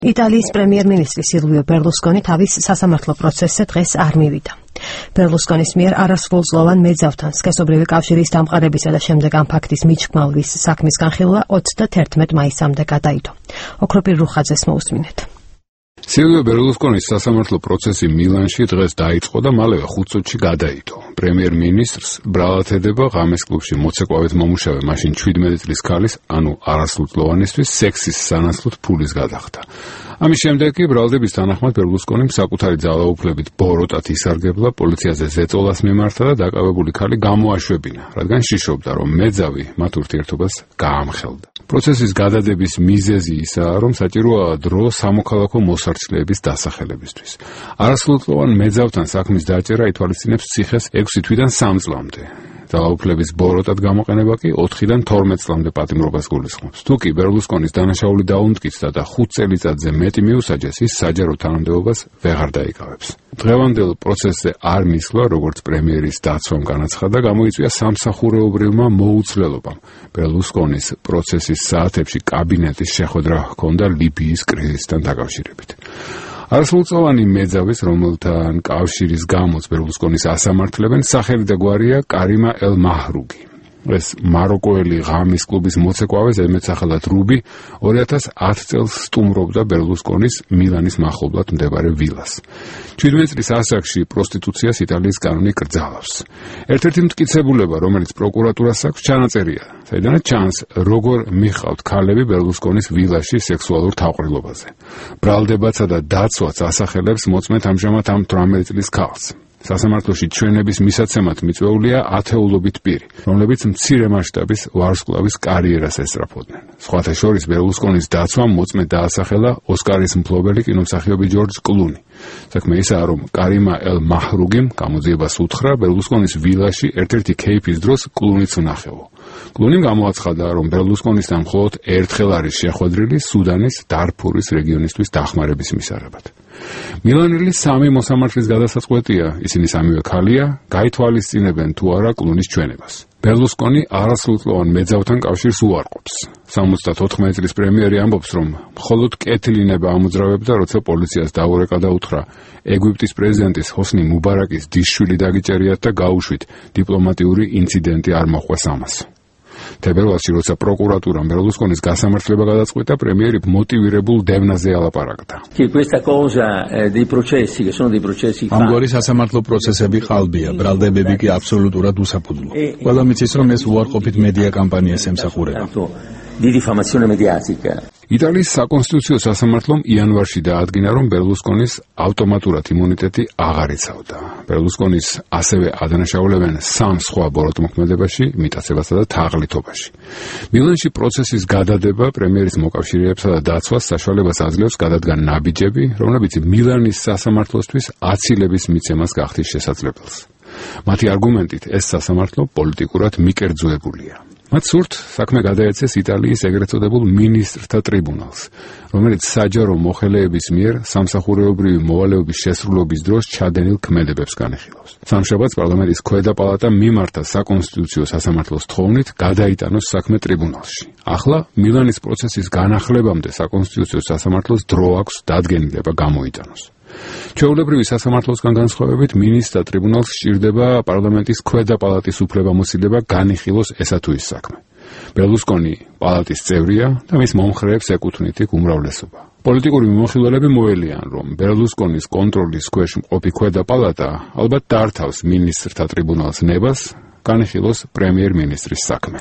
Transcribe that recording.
იტალიის პრემიერ-მინისტრი სილვიო ბერლუსკონი თავის სასამართლო პროცესზე დღეს არ მივიდა. ბერლუსკონის მიერ არასრულწლოვან მეძავთან სქესობრივი კავშირის დამყარებისა და შემდეგ ამ ფაქტის მიჩქმალვის საქმის განხილვა 31 მაისამდე გადაიდო. ოქროპირ რუხაძეს მოусმინეთ. სილვიო ბერლუსკონის სასამართლო პროცესი მილანში დღეს დაიწყო და მალევე 5 წუთში გადაიდო. პრემიერ-მინისტრს ბრალად ედება ღამეს კლუბში მოცეკვავედ მომუშავე მაშინ 17 წლის ქალის, ანუ არასრულწლოვანისთვის სექსის სანაცვლოდ ფულის გადახდა. ამის შემდეგ კი ბრალდების თანახმად ბერლუსკონიმ საკუთარი ძალაუფლებით ბოროტად ისარგებლა, პოლიციაზე ზეწოლას მიმართა და დაკავებული ქალი გამოაშვებინა, რადგან შიშობდა, რომ მეძავი მათ ურთიერთობას გაამხელდა. პროცესის გადადების მიზეზი ისაა, რომ საჭიროა დრო სამოქალაქო მოსარჩლეების დასახელებისთვის. არასრულწლოვან მეძავთან საქმის დაჭერა ითვალისწინებს ციხეს 6 თვიდან 3 წლამდე. ძალაუფლების ბოროტად გამოყენება კი 4-დან 12 წლამდე პატიმრობას გულისხმობს. თუკი ბერლუსკონის დანაშაული დაუმტკიცდა და 5 წელიწადზე მეტი მიუსაჯეს, ის საჯარო თანამდებობას ვეღარ დაიკავებს. დღევანდელ პროცესზე არ მისვლა, როგორც პრემიერის დაცვამ განაცხადა, გამოიწვია სამსახურეობრივმა მოუცვლელობამ. ბერლუსკონის პროცესის საათებში კაბინეტის შეხვედრა ჰქონდა ლიბიის კრიზისთან დაკავშირებით. არასრულწლოვანი მეძავის, რომელთან კავშირის გამოც ბერლუსკონის ასამართლებენ, სახელი და გვარია კარიმა ელ მაჰრუგი. ეს მაროკოელი ღამის კლუბის მოცეკვავე, ზედმეტსახელად რუბი, 2010 წელს სტუმრობდა ბერლუსკონის მილანის მახლობლად მდებარე ვილას. 17 წლის ასაკში პროსტიტუციას იტალიის კანონი კრძალავს. ერთ-ერთი მტკიცებულება, რომელიც პროკურატურას აქვს, ჩანაწერია, საიდანაც ჩანს, როგორ მიხავთ ქალები ბერლუსკონის ვილაში სექსუალურ თავყრილობაზე. ბრალდებაცა და დაცვაც ასახელებს მოწმეთ ამჟამად ამ 18 წლის ქალს. სასამართლოში ჩვენების მისაცემად მიწვეულია ათეულობით პირი, რომლებიც მცირე მასშტაბის ვარსკვლავის კარიერას ესწრაფოდნენ. სხვათა შორის ბერლუსკონის დაცვამ მოწმე დაასახელა ოსკარის მფლობელი კინომსახიობი ჯორჯ კლუნი. საქმე ისაა, რომ კარიმა ელ მაჰრუგიმ გამოძიებას უთხრა ბერლუსკონის ვილაში ერთ-ერთი კეიფის დროს კლუნიც ვნახეო. კლუნიმ გამოაცხადა, რომ ბერლუსკონისთან მხოლოდ ერთხელ არის შეხვედრილი სუდანის დარფურის რეგიონისთვის დახმარების მისაღებად. მილანელი 3 მოსამართლის გადასაწყვეტია, ისინი სამივე ქალია, გაითვალისწინებენ თუ არა კლუნის ჩვენებას. ბერლუსკონი არასრულწლოვან მეძავთან კავშირს უარყოფს. 74 წლის პრემიერი ამბობს, რომ მხოლოდ კეთილინება ამოძრავებდა, როცა პოლიციას დაურეკა და უთხრა, ეგვიპტის პრეზიდენტის ჰოსნი მუბარაკის დისშვილი დაგიჭერიათ და გაუშვით, დიპლომატიური ინციდენტი არ მოყვეს ამას. თებერვალში, როცა პროკურატურამ ბერლუსკონის გასამართლება გადაწყვიტა, პრემიერი მოტივირებულ დევნაზე ალაპარაკდა. ამგვარი სასამართლო პროცესები ყალბია, ბრალდებები კი აბსოლუტურად უსაფუძვლო. ყველა მიცის, რომ ეს უარყოფით მედია კამპანიას ემსახურება. იტალიის საკონსტიტუციო სასამართლომ იანვარში დაადგინა, რომ ბერლუსკონის ავტომატურად იმუნიტეტი აღარ იცავდა. ბერლუსკონის ასევე ადანაშაულებენ 3 სხვა ბოროტმოქმედებაში, მიტაცებასა და თაღლითობაში. მილანში პროცესის გადადება პრემიერის მოკავშირეებსა და დაცვას საშუალებას აძლევს გადადგან ნაბიჯები, რომლებიც მილანის სასამართლოსთვის აცილების მიცემას გახდის შესაძლებელს. მათი არგუმენტით ეს სასამართლო პოლიტიკურად მიკერძოებულია. მათ სურთ საქმე გადაეცეს იტალიის ეგრეთ წოდებულ მინისტრთა ტრიბუნალს, რომელიც საჯარო მოხელეების მიერ სამსახურეობრივი მოვალეობის შესრულობის დროს ჩადენილ ქმედებებს განეხილავს. სამშაბათს პარლამენტის ქვედა პალატა მიმართა საკონსტიტუციო სასამართლოს თხოვნით გადაიტანოს საქმე ტრიბუნალში. ახლა მილანის პროცესის განახლებამდე საკონსტიტუციო სასამართლოს დრო აქვს დადგენილება გამოიტანოს. ჩვეულებრივი სასამართლოსგან განსხვავებით მინისტრთა ტრიბუნალს სჭირდება პარლამენტის ქვედა პალატის უფლებამოსილება განიხილოს ესა თუ ის საქმე. ბერლუსკონი პალატის წევრია და მის მომხრეებს ეკუთვნით იქ უმრავლესობა. პოლიტიკური მიმოხილველები მოელიან, რომ ბერლუსკონის კონტროლის ქვეშ მყოფი ქვედა პალატა ალბათ დართავს მინისტრთა ტრიბუნალს ნებას განიხილოს პრემიერ-მინისტრის საქმე.